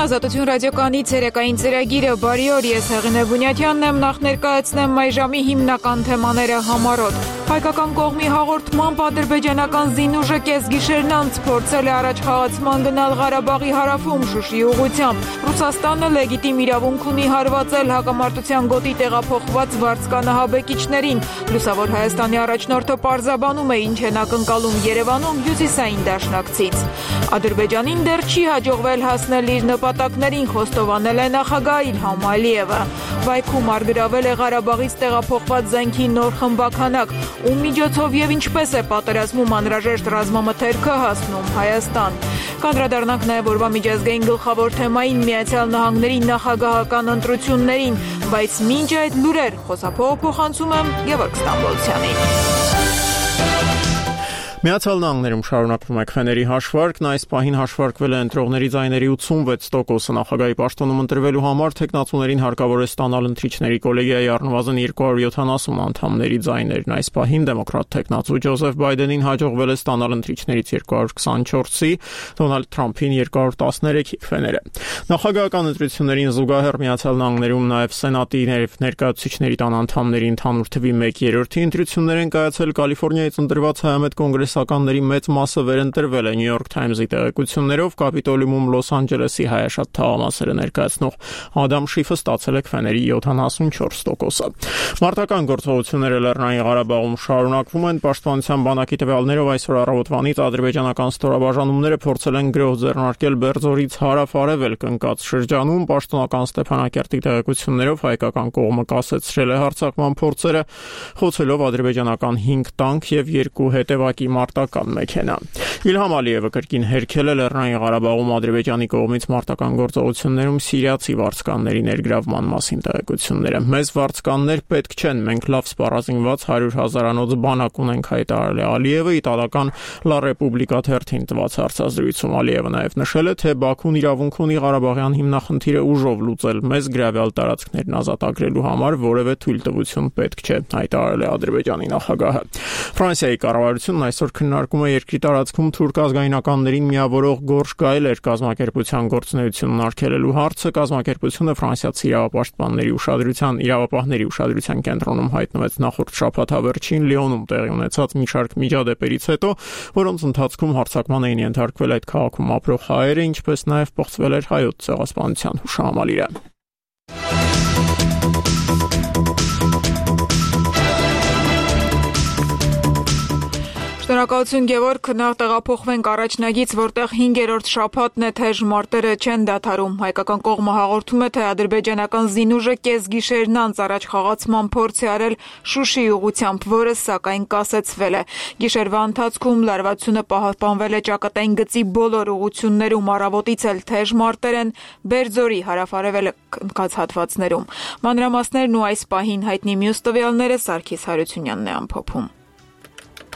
Ազատություն ռադիոկայանի ցերեկային ծրագիրը բարի օր, ես Հեղինե Բունյաթյանն եմ, նախ ներկայացնեմ այժմի հիմնական թեմաները համառոտ։ Հայկական կողմի հաղորդմամբ ադրբեջանական զինուժը կեսգիշերն անց փորձել է առաջխաղացման գնալ Ղարաբաղի հարավում Շուշիի ուղղությամբ։ Ռուսաստանը լեգիտիմ իրավունք ունի հարվածել հակամարտության գոտի տեղափոխված վարձկանահաբեկիչներին։ Լուսավոր Հայաստանի առաջնորդը պարզաբանում է, ինչ են ակնկալում Երևանում հյուսիսային դաշնակցից։ Ադրբեջանին դեռ չի հաջողվել հասնել իր նպատակներին, խոստովանել է նախագահ Իլհամ Ալիևը։ Բայքում արգրավել է Ղարաբաղից տեղափոխված զենքի նոր խմբաքանակ, ում միջոցով եւ ինչպես է պատերազմում անհրաժեշտ ռազմամթերքը հասնում Հայաստան։ Կանդրադառնանք նաեւ օրվա միջազգային գլխավոր թեմային Միացյալ Նահանգների նախագահական ընտրություններին, բայց մինչ այդ լուրեր խոսափողը փոխանցում եմ Գևորգ Ստամբոլցյանին։ Միացյալ Նահանգներում շարունակվում է քվեների հաշվարկն, այս պահին հաշվարկվել է ընտրողների ձայների 86%-ը, նախագահի պաշտոնում ընտրվելու համար թեկնածուներին հարկավոր է ստանալ ընտրիչների կոլեգիայի առնվազն 270 անդամների ձայներն, այս պահին դեմոկրատ թեկնածու Ջոզեֆ Բայդենին հաջողվել է ստանալ ընտրիչներից 224-ի, Դոնալդ Թրամփին 213-ի քվեները։ Նախագահական ընտրություններին զուգահեռ Միացյալ Նահանգներում նաև Սենատի ներկայացուցիչների տան անդամների ընդհանուր թվի 1/3-ի ընտրություններ են կայացել, Կալիֆոռնիայից ընտրված հայամետ կոնգրեսականների մեծ մասը վերընտրվել է New York Times-ի տեղեկություններով, Կապիտոլիումում Լոս Անջելեսի հայաշատ թաղամասերը ներկայացնող Ադամ Շիֆը ստացել է քվեների 74%-ը։ Մարտական գործողությունները Լեռնային Ղարաբաղում շարունակվում են, Պաշտպանության բանակի տվյալներով այսօր առավոտվանից ադրբեջանական ստորաբաժանումները փորձել են գրոհ ձեռնարկել Բերձորից հարավ-արևելք ընկած շրջանում, պաշտոնական Ստեփանակերտի տեղեկություններով հայկական կողմը կասեցրել է հարձակման փորձերը, խոցելով ադրբեջանական 5 տանկ եւ 2 հետևակի մարտական մեքենա։ Իլհամ Ալիևը կրկին հերքել է Լեռնային Ղարաբաղում Ադրբեջանի կողմից մարտական գործողություններում սիրիացի վարձկանների ներգրավման մասին տեղեկությունները։ Մեզ վարձկաններ պետք չեն, մենք լավ սպառազինված 100,000-անոց բանակ ունենք, հայտարարել է Ալիևը իտալական La Repubblica թերթին տված հարցազրույցում։ Ալիևը նաև նշել է, թե Բաքուն իրավունք ունի Ղարաբաղյան հիմնախնդիրը ուժով լուծել, մեզ գրավյալ տարածքներն ազատագրելու համար որևէ թույլտվություն պետք չէ, հայտարարել է Ադրբեջանի նախագահը։ Ֆրանսիայի կառավարությունն այսօր քննարկում է երկրի տարածքում թուրք ազգայնականներին միավորող գորշ գայլեր կազմակերպության գործունեությունն արգելելու հարցը։ Կազմակերպությունը ֆրանսիացի իրավապահների ուշադրության կենտրոնում հայտնվեց նախորդ շաբաթավերջին Լիոնում տեղի ունեցած մի շարք միջադեպերից հետո, որոնց ընթացքում հարձակման էին ենթարկվել այդ քաղաքում ապրող հայերը, ինչպես նաև պղծվել էր հայոց ցեղասպանության հուշահամալիրը։ Շնորհակալություն Գևորգ, նախ տեղափոխվենք առաջնագից, որտեղ 5-րդ շաբաթն է թեժ մարտերը չեն դադարում։ Հայկական կողմը հաղորդում է, թե ադրբեջանական զինուժը կեսգիշերն անց առաջխաղացման փորձ է արել Շուշիի ուղղությամբ, որը սակայն կասեցվել է։ Գիշերվա ընթացքում լարվածությունը պահպանվել է ճակատային գծի բոլոր ուղղություններում, առավոտից էլ թեժ մարտեր են Բերձորի հարավ-արևելք ընկած հատվածներում։ Մանրամասներն ու այս պահին հայտնի մյուս տվյալները Սարգիս Հարությունյանն է ամփոփում։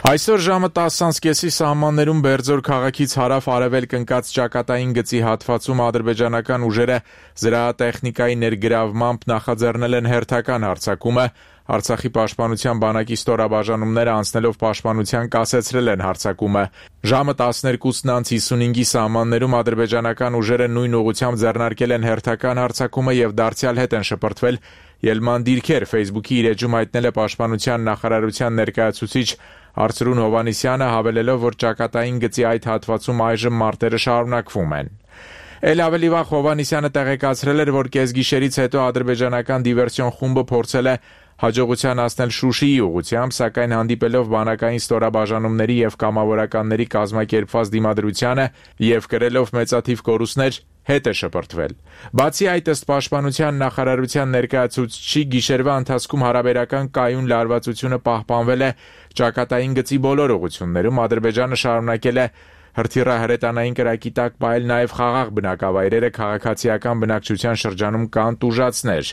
Այսօր ժամը 10:30-ի սահմաններում Բերձոր քաղաքից հարավ-արևելք ընկած ճակատային գծի հատվածում ադրբեջանական ուժերը զրահատեխնիկայի ներգրավմամբ նախաձեռնել են հերթական հարձակումը, Արցախի պաշտպանության բանակի ստորաբաժանումները անցնելով պաշտպանության կասեցրել են հարձակումը։ Ժամը 12:55-ի սահմաններում ադրբեջանական ուժերը նույն ուղղությամբ ձեռնարկել են հերթական հարձակումը եւ դարձյալ հետ են շպրտվել Ելման դիրքեր, Facebook-ի իր էջում հայտնել է պաշտպանության նախարարության ներկայացուցիչ Արծրուն Հովանիսյանը, հավելելով, որ ճակատային գծի այդ հատվածում այժմ մարտերը շարունակվում են։ Էլ ավելի վաղ Հովանիսյանը տեղեկացրել էր, որ կեսգիշերից հետո ադրբեջանական դիվերսիոն խումբը փորձել է հաջողության հասնել Շուշիի ուղղությամբ, սակայն հանդիպելով բանակային ստորաբաժանումների եւ կամավորականների կազմակերպված դիմադրությանը եւ կրելով մեծաթիվ կորուստներ, հետ է շպրտվել։ Բացի այդ, ըստ պաշտպանության նախարարության ներկայացուցչի, գիշերվա ընթացքում հարաբերական կայուն լարվածությունը պահպանվել է ճակատային գծի բոլոր ուղղություններում, Ադրբեջանը շարունակել է հրթիռահրետանային կրակի տակ պահել նաև խաղաղ բնակավայրերը, քաղաքացիական բնակչության շրջանում կան տուժածներ։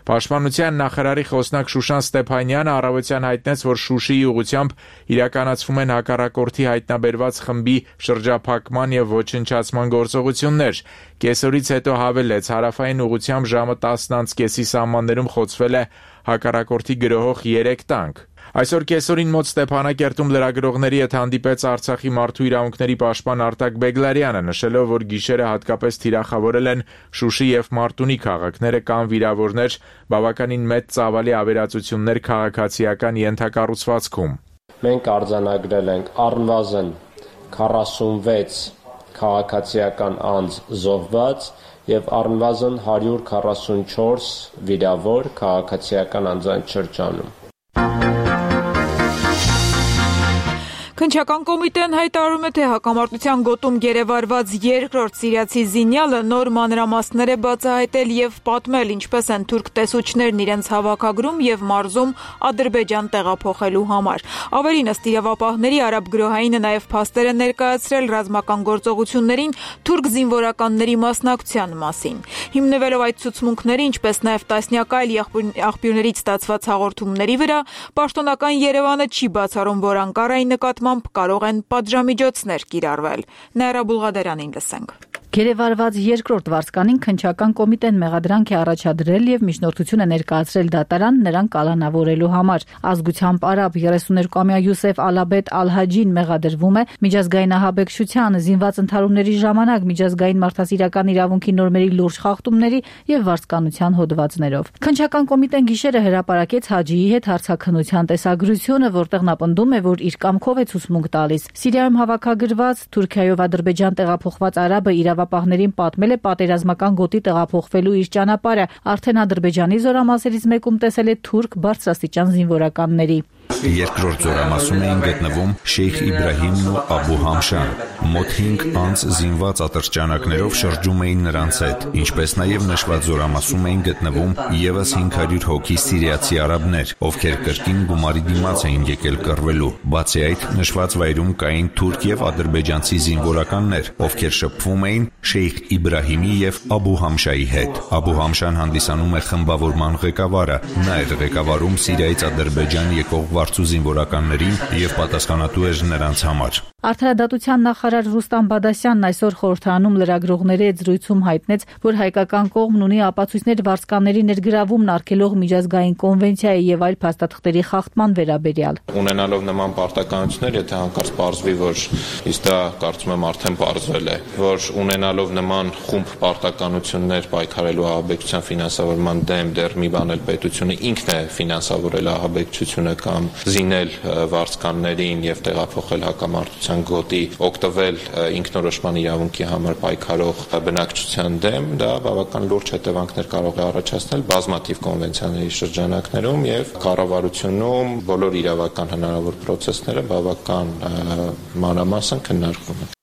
Պաշտպանության նախարարի խոսնակ Շուշան Ստեփանյանը առավոտյան հայտնեց, որ Շուշիի ուղղությամբ իրականացվում են հակառակորդի հայտնաբերված խմբի շրջափակման եւ ոչնչացման գործողություններ։ Կեսօրից հետո հավելեց, հարավային ուղղությամբ ժամը 10:30-ի սահմաններում խոցվել է հակառակորդի գրոհող 3 տանկ։ Այսօր կեսօրին մոտ Ստեփանակերտում լրագրողների հետ հանդիպեց Արցախի մարդու իրավունքների պաշտպան Արտակ Բեգլարյանը, նշելով, որ գիշերը հատկապես թիրախավորել են Շուշի եւ Մարտունի քաղաքները կամ վիրավորներ, բավականին մեծ ծավալի ավերածություններ քաղաքացիական ենթակառուցվածքում։ Մենք արձանագրել ենք առնվազն 46 քաղաքացիական անձ զոհված եւ առնվազն 144 վիրավոր քաղաքացիական անձանց շրջանում։ Քննչական կոմիտեն հայտարարում է, թե հակամարտության գոտում գերեվարված երկրորդ սիրիացի զինյալը նոր մանրամասներ է բացահայտել եւ պատմել, ինչպես են թուրք տեսուչներն իրենց հավաքագրում եւ մարզում Ադրբեջան տեղափոխելու համար։ Ավելին, ըստ իրավապահների, արաբ գրոհայինը նաեւ փաստեր է ներկայացրել ռազմական գործողություններին թուրք զինվորականների մասնակցության մասին։ Հիմնվելով այդ ցուցմունքների, ինչպես նաեւ տասնյակ այլ աղբյուրներից ստացված հաղորդումների վրա, պաշտոնական Երևանը չի բացառում, որ Անկարայի նկատմամբ կարող են պատժամիջոցներ կիրառվել։ Նաիրա Բուլղադարյանին լսենք։ Գերեվարված երկրորդ վարձկանին քննչական կոմիտեն մեղադրանք է առաջադրել եւ միջնորդություն է ներկայացրել դատարան նրան կալանավորելու համար։ Ազգությամբ արաբ 32-ամյա Յուսեֆ Ալաբեդ Ալ-Հաջին մեղադրվում է միջազգային ահաբեկչության, զինված ընդհարումների ժամանակ միջազգային մարդասիրական իրավունքի նորմերի լուրջ խախտումների եւ վարձկանության հոդվածներով։ Քննչական կոմիտեն գիշերը հրապարակեց Հաջիի հետ հարցաքննության տեսագրությունը, որտեղ նա պնդում է, որ իր կամքով է ցուցմունք տալիս։ Սիրիայում հավաքագրված Թուրքիայով Ադրբեջան տեղափոխված արաբը իրավապահներին պատմել է պատերազմական գոտի տեղափոխվելու իր ճանապարհը, արդեն Ադրբեջանի զորամասերից մեկում տեսել է թուրք բարձրաստիճան զինվորականների։ Երկրորդ զորամասում էին գտնվում Շեյխ Իբրահիմն ու Աբու Համշան։ Մոտ 5 անձ զինված ատրճանակներով շրջում էին նրանց հետ, ինչպես նաև նշված զորամասում էին գտնվում եւս 500 հոգի սիրիացի արաբներ, ովքեր կրկին գումարի դիմաց էին եկել կռվելու։ Բացի այդ, նշված վայրում կային թուրք եւ ադրբեջանցի զինվորականներ, ովքեր շփվում էին Շեյխ Իբրահիմի եւ Աբու Համշայի հետ։ Աբու Համշան հանդիսանում է խմբավորման ղեկավարը, նա էր ղեկավարում Սիրիայից Ադրբեջան եկող վարձու զինվորականներին եւ պատասխանատու էր նրանց համար։ Արդարադատության նախարար Ռուստամ Բադասյանն այսօր խորհրդարանում լրագրողների հետ զրույցում հայտնեց, որ հայկական կողմն ունի ապացույցներ վարձկանների ներգրավումն արգելող միջազգային կոնվենցիայի եւ այլ փաստաթղթերի խախտման վերաբերյալ։ Ունենալով նման պարտականություններ, եթե հանկարծ պարզվի, որ իսկ դա կարծում եմ արդեն պարզվել է, որ ունենալով նման խումբ պարտականություններ պայքարելու ահաբեկչության ֆինանսավորման դեմ դեռ մի բան էլ պետությունը ինքն է ֆինանսավորել ահաբեկչությունը կամ զինել վարձկաններին եւ տեղափոխել հակամարտության գոտի, օգտվել ինքնորոշման իրավունքի համար պայքարող բնակչության դեմ, դա բավական լուրջ հետևանքներ կարող է առաջացնել բազմաթիվ կոնվենցիաների շրջանակներում եւ կառավարությունում բոլոր իրավական հնարավոր process-ները բավական մանրամասն քննարկվում են։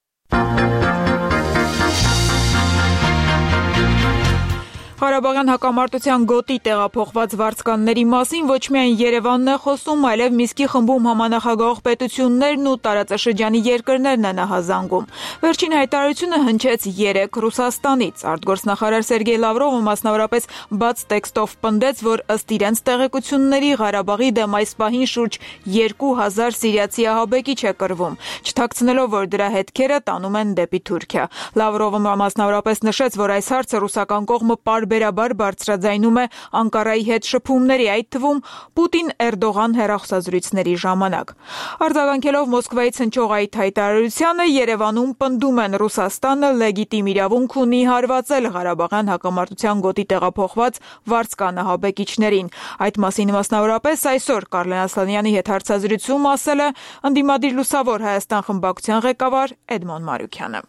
Ղարաբաղյան հակամարտության գոտի տեղափոխված վարձկանների մասին ոչ միայն Երևանն է խոսում, այլև Միսկի խմբում համանախագահող պետություններն ու տարածաշրջանի երկրներն են ահազանգում։ Վերջին հայտարարությունը հնչեց 3 Ռուսաստանից։ Արտգործնախարար Սերգեյ Լավրովը մասնավորապես բաց տեքստով պնդեց, որ ըստ իրենց տեղեկությունների Ղարաբաղի դեմ այս պահին շուրջ 2000 սիրիացի ահաբեկիչ է կռվում, չթաքցնելով, որ դրա հետքերը տանում են դեպի Թուրքիա։ Լավրովը մասնավորապես նշեց, որ այս հարցը ռուսական կողմը բարբերաբար բարձրաձայնում է Անկարայի հետ շփումների, այդ թվում Պուտին-Էրդողան հեռախոսազրույցների ժամանակ։ Արձագանքելով Մոսկվայից հնչող այդ հայտարարությանը, Երևանում պնդում են Ռուսաստանը լեգիտիմ իրավունք ունի հարվածել Ղարաբաղյան հակամարտության գոտի տեղափոխված վարձկան ահաբեկիչներին։ Այդ մասին մասնավորապես այսօր Կարլեն Ասլանյանի հետ հարցազրույցում ասել է ընդդիմադիր լուսավոր Հայաստան խմբակցության ղեկավար Էդմոն Մարուքյանը։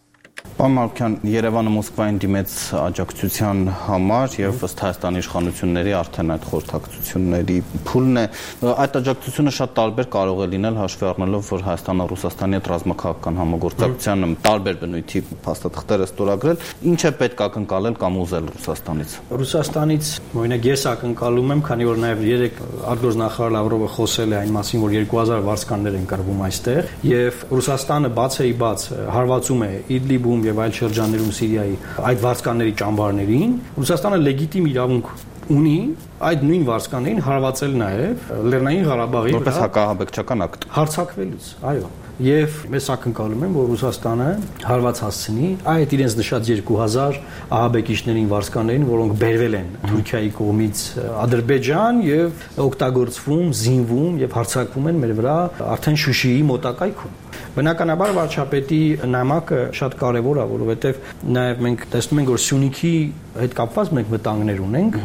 Պարոն Մարուքյան, Երևանը Մոսկվային դիմեց աջակցության համար եւ ըստ Հայաստանի իշխանությունների արդեն այդ խորհրդակցությունների փուլն է։ Այդ աջակցությունը շատ տարբեր կարող է լինել, հաշվի առնելով, որ Հայաստանը Ռուսաստանի հետ ռազմաքաղաքական համագործակցությանը տարբեր բնույթի փաստաթղթեր է ստորագրել, ինչ է պետք ակնկալել կամ ուզել Ռուսաստանից։ Ռուսաստանից օրինակ ես ակնկալում եմ, քանի որ նաեւ 3 արտգործնախարար Լավրովը խոսել է այն մասին, որ 2000 վարձկաններ են կռվում այստեղ, եւ Ռուսաստանը բաց հարվածում է Իդլիբում եւ այլ շրջաններում Սիրիայի այդ վարձկանների ճամբարներին, Ռուսաստանը լեգիտիմ իրավունք ունի այդ նույն վարձկաններին հարվածել նաեւ Լեռնային Ղարաբաղի որպես հակահաբեկչական ակտ։ Հարձակվելուց, այո։ եւ ես ակնկալում եմ, որ Ռուսաստանը հարված հասցնի այդ իրենց նշած 2000 ահաբեկիչներին, վարձկաններին, որոնք բերվել են Թուրքիայի կողմից Ադրբեջան եւ օգտագործվում, զինվում եւ հարձակվում են մեր վրա արդեն Շուշիի մոտակայքում։ Բնականաբար վարչապետի նամակը շատ կարևոր է, որովհետև նաև մենք տեսնում ենք, որ Սյունիքի հետ կապված մենք վտանգներ ունենք,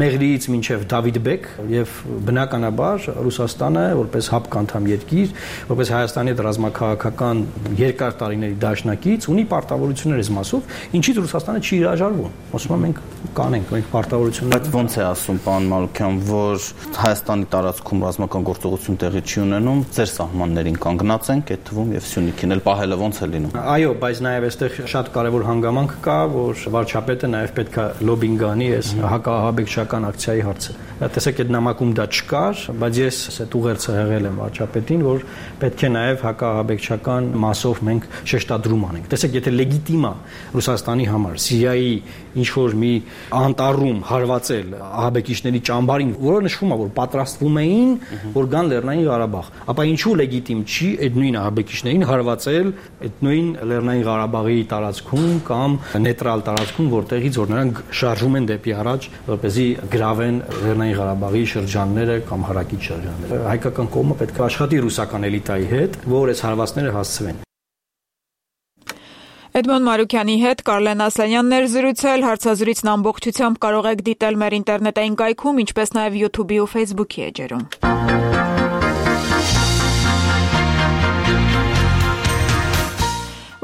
Մեղրիից մինչև Դավիդբեկ եւ բնականաբար Ռուսաստանը որպես ՀԱՊԿ անդամ երկիր, որպես Հայաստանի հետ ռազմաքաղաքական երկար տարիների դաշնակից ունի պարտավորություններ այս մասով, ինչից Ռուսաստանը չի հրաժարվում։ Ասում եմ մենք կանենք, մենք պարտավորություններ։ Բայց ո՞նց է ասում պարոն Մանուկյան, որ Հայաստանի տարածքում ռազմական գործողություն տեղի չի ունենում, ձեր սահմաններին կանգնած ենք, այդ թվում եւ Սյունիքին էլ պահելը ո՞նց է լինում։ Այո, բայց նաեւ այստեղ շատ կարեւոր հանգամանք կա, որ վարչապետը նաեւ պետք է լոբինգ անի այս հակահաբեկչական ակցիայի հարցը։ Տեսեք, այդ նամակում դա չկար, բայց ես այդ ուղերձը հղել եմ վարչապետին, որ պետք է նաեւ հակահաբեկչական մասով մենք շեշտադրում անենք։ Տեսեք, եթե լեգիտիմ է Ռուսաստանի համար Սիրիայի ինչ որ մի անտառում հարվածել ահաբեկիչների ճամբարին, որը նշվում է, որ պատրաստվում էին, որ գան Լեռնային Ղարաբաղ, ապա ինչու լեգիտիմ չի այդ նույն ահաբեկիչներին հարվածել այդ նույն Լեռնային Ղարաբաղի տարածքում կամ նեյտրալ տարածքում, որտեղից որ նրանք շարժում են դեպի առաջ, որպեսզի գրավեն Լեռնային Ղարաբաղի շրջանները կամ հարակից շրջանները։ Հայկական կողմը պետք է աշխատի ռուսական էլիտայի հետ, որ այս հարվածները հասցվեն։ Էդմոն Մարուկյանի հետ Կարլեն Ասլանյանն էր զրուցել, հարցազրույցն ամբողջությամբ կարող եք դիտել մեր ինտերնետային կայքում, ինչպես նաև YouTube-ի ու Facebook-ի էջերում։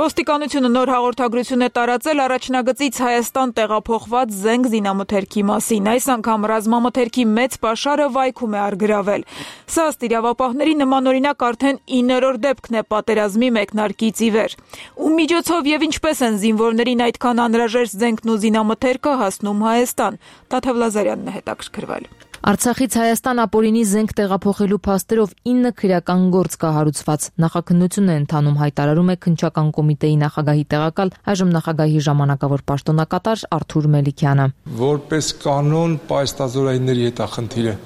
Ոստիկանությունը նոր հաղորդագրություն է տարածել առաջնագծից Հայաստան տեղափոխված զենք զինամթերքի մասին։ Այս անգամ ռազմամթերքի մեծ պաշարը Վայքում է առգրավել։ Սա ըստ իրավապահների նմանօրինակ արդեն 9-րդ դեպքն է պատերազմի մեկնարկից ի վեր։ Ում միջոցով եւ ինչպես են զինվորներին այդքան անհրաժեշտ զենքն ու զինամթերքը հասնում Հայաստան։ Տաթև Լազարյանն է հետաքրքրվել։ Արցախից Հայաստան ապօրինի զենք տեղափոխելու փաստերով 9 քրեական գործ կա հարուցված։ Նախաքննություն է ընթանում, հայտարարում է քննչական կոմիտեի նախագահի տեղակալ, այժմ նախագահի ժամանակավոր պաշտոնակատար Արթուր Մելիքյանը։ Որպես կանոն պայստազորայինների հետ է խնդիրը։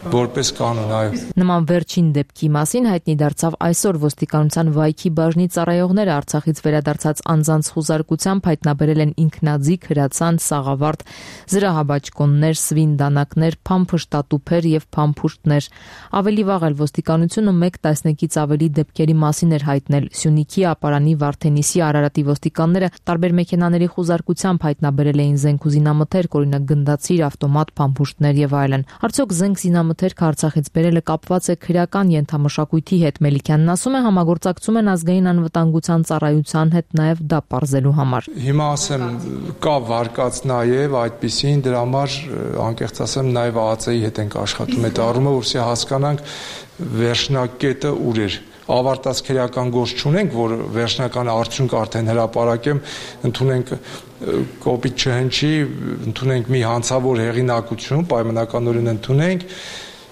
Որպես կանոն, այո։ Նման վերջին դեպքի մասին հայտնի դարձավ այսօր ոստիկանության Վայքի բաժնի ծառայողները Արցախից վերադարձած անձանց խուզարկությամբ հայտնաբերել են ինքնաձիգ, հրացան, սաղավարտ, զրահաբաճկոններ, սվին-դանակներ, փամփշտատուփեր եւ փամփուշտներ։ Ավելի վաղ էլ ոստիկանությունը 1 տասնյակից ավելի դեպքերի մասին էր հայտնել։ Սյունիքի, Ապարանի, Վարդենիսի, Արարատի ոստիկանները տարբեր մեքենաների խուզարկությամբ հայտնաբերել էին զենք ու զինամթերք, օրինակ գնդացիր, ավտոմատ, փամփուշտներ եւ այլն։ Արդյոք զենք զինամթերք Արցախից բերելը կապված է քրեական ենթամշակույթի հետ։ Մելիքյանն ասում է, համագործակցում են ազգային անվտանգության ծառայության հետ նաև դա պարզելու համար։ Հիմա ասեմ, կա վարկած նաև այդպիսին, դրա համար անկեղծ ասեմ, նաև ԱԱՑ-ի հետ ենք աշխատում այդ առումով, որպեսզի հասկանանք վերջնակետը ուր էր։ Ավարտած քրեական գործ չունենք, որ վերջնական արդյունք արդեն հրապարակեմ, ընդունենք կոպիտ չհնչի, ընդունենք մի հանցավոր հեղինակություն, պայմանականորեն ընդունենք,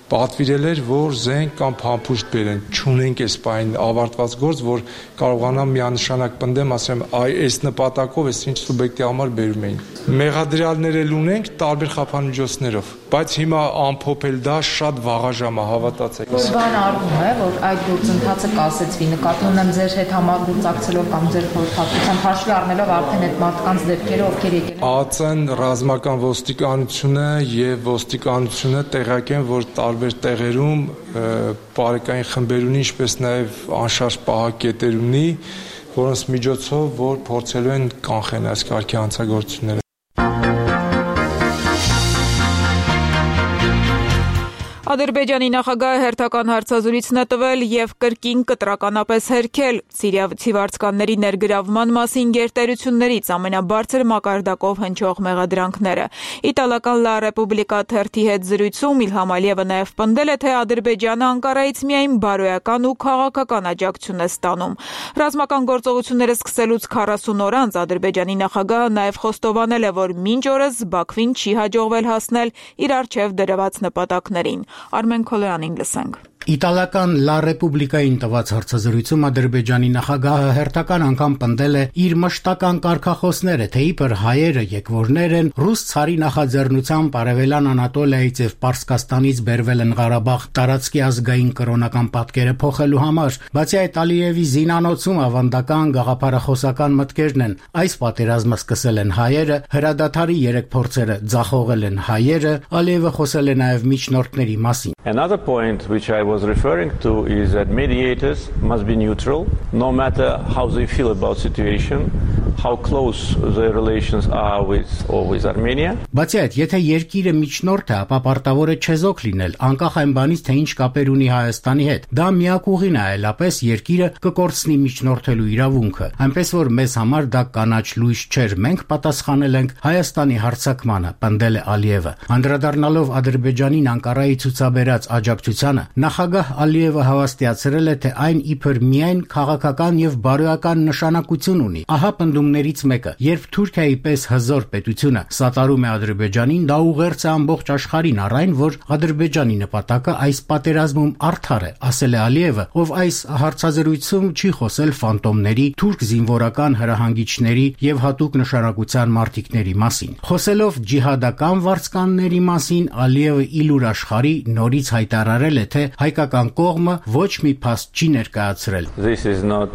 պատվիրել էր, որ զենք կամ փամփուշտ բերեն, չունենք այս պայն ավարտված գործ, որ կարողանամ միանշանակ պնդեմ, ասեմ, այս նպատակով այս ինչ սուբյեկտի համար բերում էին։ Մեղադրյալներ էլ ունենք տարբեր խափանմիջոցներով, բայց հիմա ամփոփել դա շատ վաղաժամ է, հավատացեք։ Բան արվում է, որ այդ գործընթացը կասեցվի, նկատի ունեմ ձեր հետ համագործակցելով կամ ձեր խորհրդատվությամբ հաշվի առնելով արդեն այդ մարդկանց դեպքերը, ովքեր եկել են։ ԱԱՑ-ն, ռազմական ոստիկանությունը եւ ոստիկանությունը տեղյակ են, որ տարբեր տեղերում բարեկային խմբեր ունի, ինչպես նաեւ անշարժ պահակետեր ունի, որոնց միջոցով որ փորձելու են կանխեն այս կարգի հանցագործությունները։ Ադրբեջանի նախագահը հերթական հարցազրույցն է տվել եւ կրկին կտրականապես հերքել սիրիացի վարձկանների ներգրավման մասին գերտերություններից ամենաբարձր մակարդակով հնչող մեղադրանքները։ Իտալական La Repubblica թերթի հետ զրույցում Իլհամ Ալիևը նաեւ պնդել է, թե Ադրբեջանը Անկարայից միայն բարոյական ու քաղաքական աջակցություն է ստանում։ Ռազմական գործողությունները սկսելուց 40 օր անց Ադրբեջանի նախագահը նաեւ խոստովանել է, որ մինչ օրս Բաքվին չի հաջողվել հասնել իր առջև դրված նպատակներին։ Արմեն Քոլոյանին լսենք։ Իտալական La Repubblica-ին տված հարցազրույցում Ադրբեջանի նախագահը հերթական անգամ պնդել է իր մշտական կարգախոսները, թե իբր հայերը եկվորներ են ռուս ցարի նախաձեռնությամբ Արևելյան Անատոլիայից եւ Պարսկաստանից բերվել են Ղարաբաղ տարածքի ազգային կրոնական պատկերը փոխելու համար։ Բացի այդ, Ալիևի զինանոցում ավանդական գաղափարախոսական մտքերն են։ Այս պատերազմը սկսել են հայերը, հրադադարի 3 փորձերը ձախողել են հայերը, Ալիևը խոսել է նաեւ միջնորդների մասին։ Another point which I was referring to is that mediators must be neutral, no matter how they feel about situation, how close their relations are with Armenia. Բացի այդ, եթե երկիրը միջնորդ է, ապա պարտավոր է չեզոք լինել, անկախ այն բանից, թե ինչ կապեր ունի Հայաստանի հետ։ Դա միակ ուղին է, այլապես երկիրը կկորցնի միջնորդելու իրավունքը։ Այնպես որ մեզ համար դա կանաչ լույս չէր, մենք պատասխանել ենք Հայաստանի հարձակմանը, պնդել է Ալիևը։ Անդրադառնալով Ադրբեջանին Անկարայի ցուցաբերած աջակցությանը, նախագահ Ալիևը հավաստիացրել է, թե այն իբր միայն քաղաքական եւ բարոյական նշանակություն ունի։ Ահա պնդումներից մեկը, երբ Թուրքիայի պես հզոր պետությունը սատարում է Ադրբեջանին, դա ուղերձ է ամբողջ աշխարհին առ այն, որ Ադրբեջանի նպատակը այս պատերազմում արդար է, ասել է Ալիևը, ով այս հարցազրույցում չի խոսել ֆանտոմների, թուրք զինվորական հրահանգիչների եւ հատուկ նշանակության մարտիկների մասին։ Խոսելով ջիհադական վարձկանների մասին, Ալիևը իլուր աշխարհի նորից հայտարարել է, թե հայկական կողմը ոչ մի փաստ չի ներկայացրել։ This is not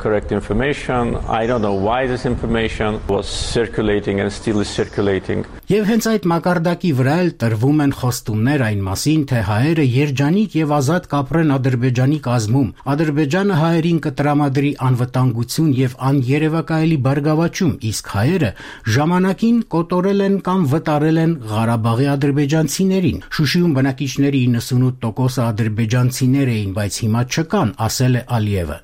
correct information. I don't know why this information was circulating and still is circulating. Եվ հենց այդ մակարդակի վրա էլ տրվում են խոստումներ այն մասին, թե հայերը երջանիկ եւ ազատ կապրեն Ադրբեջանի կազմում։ Ադրբեջանը հայերին կտրամադրի անվտանգություն եւ աներևակայելի բարգավաճում, իսկ հայերը ժամանակին կոտորել են կամ վտարել են Ղարաբաղի ադրբեջանցիներին։ Շուշիում բնակիչների 98%-ը ադրբեջանցիներ էին, բայց հիմա չկան, ասել է Ալիևը։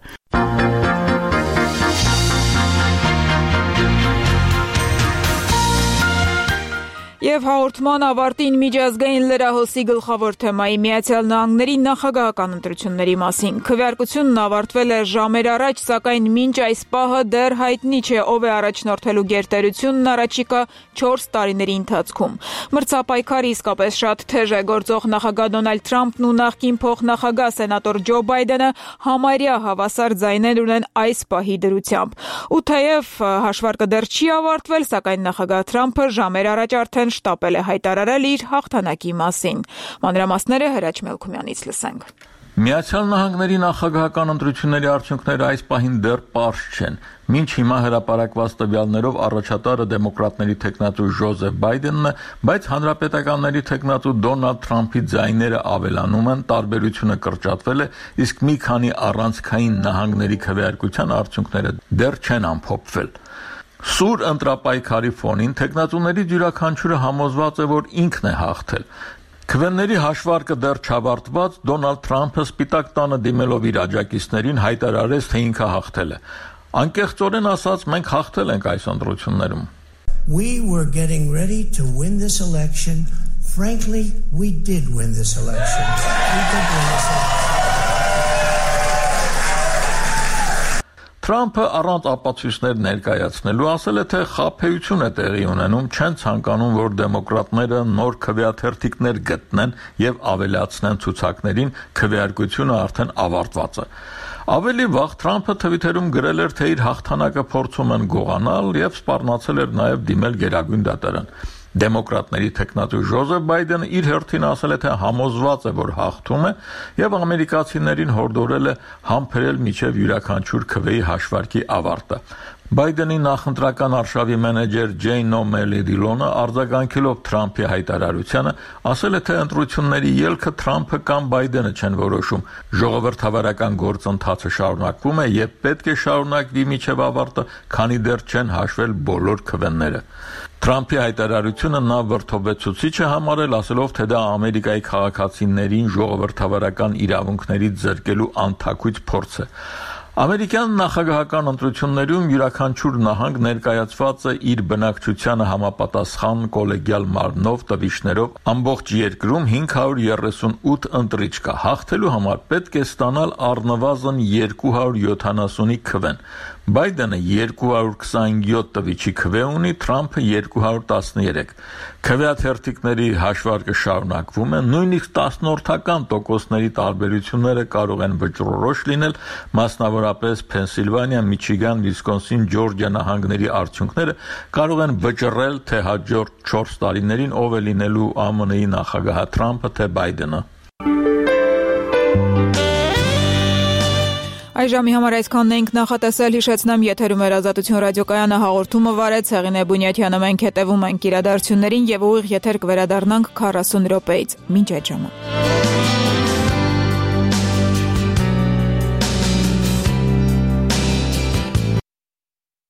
Եվ հաղորդման ավարտին միջազգային լրահոսի գլխավոր թեմայի Միացյալ Նահանգների նախագահական ընտրությունների մասին։ Քվեարկությունն ավարտվել է ժամեր առաջ, սակայն մինչ այս պահը դեռ հայտնի չէ, ով է առաջնորդելու գերտերությունն առաջիկա 4 տարիների ընթացքում։ Մրցապայքարը իսկապես շատ թեժ է, գործող նախագահ Դոնալդ Թրամփն ու նախկին փոխնախագահ սենատոր Ջո Բայդենը համարյա հավասար ձայներ ունեն այս պահի դրությամբ։ Ու թեև հաշվարկը դեռ չի ավարտվել, սակայն նախագահ Թրամփը ժամեր առաջ արդեն շտապել է հայտարարել իր հաղթանակի մասին։ Մանրամասները Հրաչ Մելքումյանից լսենք։ Միացյալ Նահանգների նախագահական ընտրությունների արդյունքները այս պահին դեռ պարզ չեն։ Մինչ հիմա հրապարակված տվյալներով առաջատարը դեմոկրատների թեկնածու Ջոզեֆ Բայդենն է, բայց հանրապետականների թեկնածու Դոնալդ Թրամփի ձայները ավելանում են, տարբերությունը կրճատվել է, իսկ մի քանի առանցքային նահանգների քվեարկության արդյունքները դեռ չեն ամփոփվել։ Սուր ընտրապայքարի ֆոնին թեկնածուներից յուրաքանչյուրը համոզված է, որ ինքն է հաղթել։ Քվեների հաշվարկը դեռ չավարտված, Դոնալդ Թրամփը Սպիտակ տանը դիմելով իր աջակիցներին հայտարարեց, թե ինքը հաղթել է։ Անկեղծորեն ասած, մենք հաղթել ենք այս ընտրություններում։ We were getting ready to win this election. Frankly, we did win this election. We did win this election. Թրամփը առանց ապացույցներ ներկայացնելու ասել է, թե խաբեություն է տեղի ունենում, չեն ցանկանում, որ դեմոկրատները նոր քվեաթերթիկներ գտնեն եւ ավելացնեն ցուցակներին, քվեարկությունը արդեն ավարտված է։ Ավելի վաղ Թրամփը Թվիթերում գրել էր, թե իր հաղթանակը փորձում են գողանալ եւ սպառնացել էր նաեւ դիմել Գերագույն դատարան։ Դեմոկրատների թեկնածու Ջոզեֆ Բայդենը իր հերթին ասել է, թե համոզված է, որ հաղթում է եւ ամերիկացիներին հորդորել է համբերել միջև յուրաքանչյուր քվեի հաշվարկի ավարտը։ Բայդենի նախընտրական արշավի մենեջեր Ջեյն Օ'Մելի Դիլոնը արձագանքելով Թրամփի հայտարարությանը ասել է, թե ընտրությունների ելքը Թրամփը կամ Բայդենը չեն որոշում։ Ժողովրդավարական գործընթացը շարունակվում է եւ պետք է շարունակվի միջև ավարտը, քանի դեռ չեն հաշվել բոլոր քվեները։ Թրամփի հայտարարությունը նա վրդովեցուցիչ է համարել, ասելով, թե դա Ամերիկայի քաղաքացիներին ժողովրդավարական իրավունքներից զրկելու անթաքույց փորձ է։ Ամերիկյան նախագահական ընտրություններում յուրաքանչյուր նահանգ ներկայացված է իր բնակչությանը համապատասխան կոլեգիալ մարմնով տվիչներով, ամբողջ երկրում 538 ընտրիչ կա։ Հաղթելու համար պետք է ստանալ առնվազն 270-ի քվեն։ Բայդենը 227 տվիչի քվե ունի, Թրամփը 213։ Քվեաթերթիկների հաշվարկը շարունակվում է, նույնիսկ 10%-ների տարբերությունները կարող են վճռորոշ լինել, մասնավորապես Փենսիլվանիա, Միչիգան, Վիսկոնսին, Ջորջիա նահանգների արդյունքները կարող են վճռել, թե հաջորդ 4 տարիներին ով է լինելու ԱՄՆ-ի նախագահ Թրամփը, թե Բայդենը։ Այժմի համար այսքանն էինք նախատեսել, հիշեցնեմ, եթերում էր Ազատություն ռադիոկայանը, հաղորդումը վարեց Հեղինե Բունյաթյանը, մենք հետևում ենք իրադարձություններին եւ ուղիղ եթեր կվերադառնանք 40 րոպեից։ Մինչ այդ ժամը։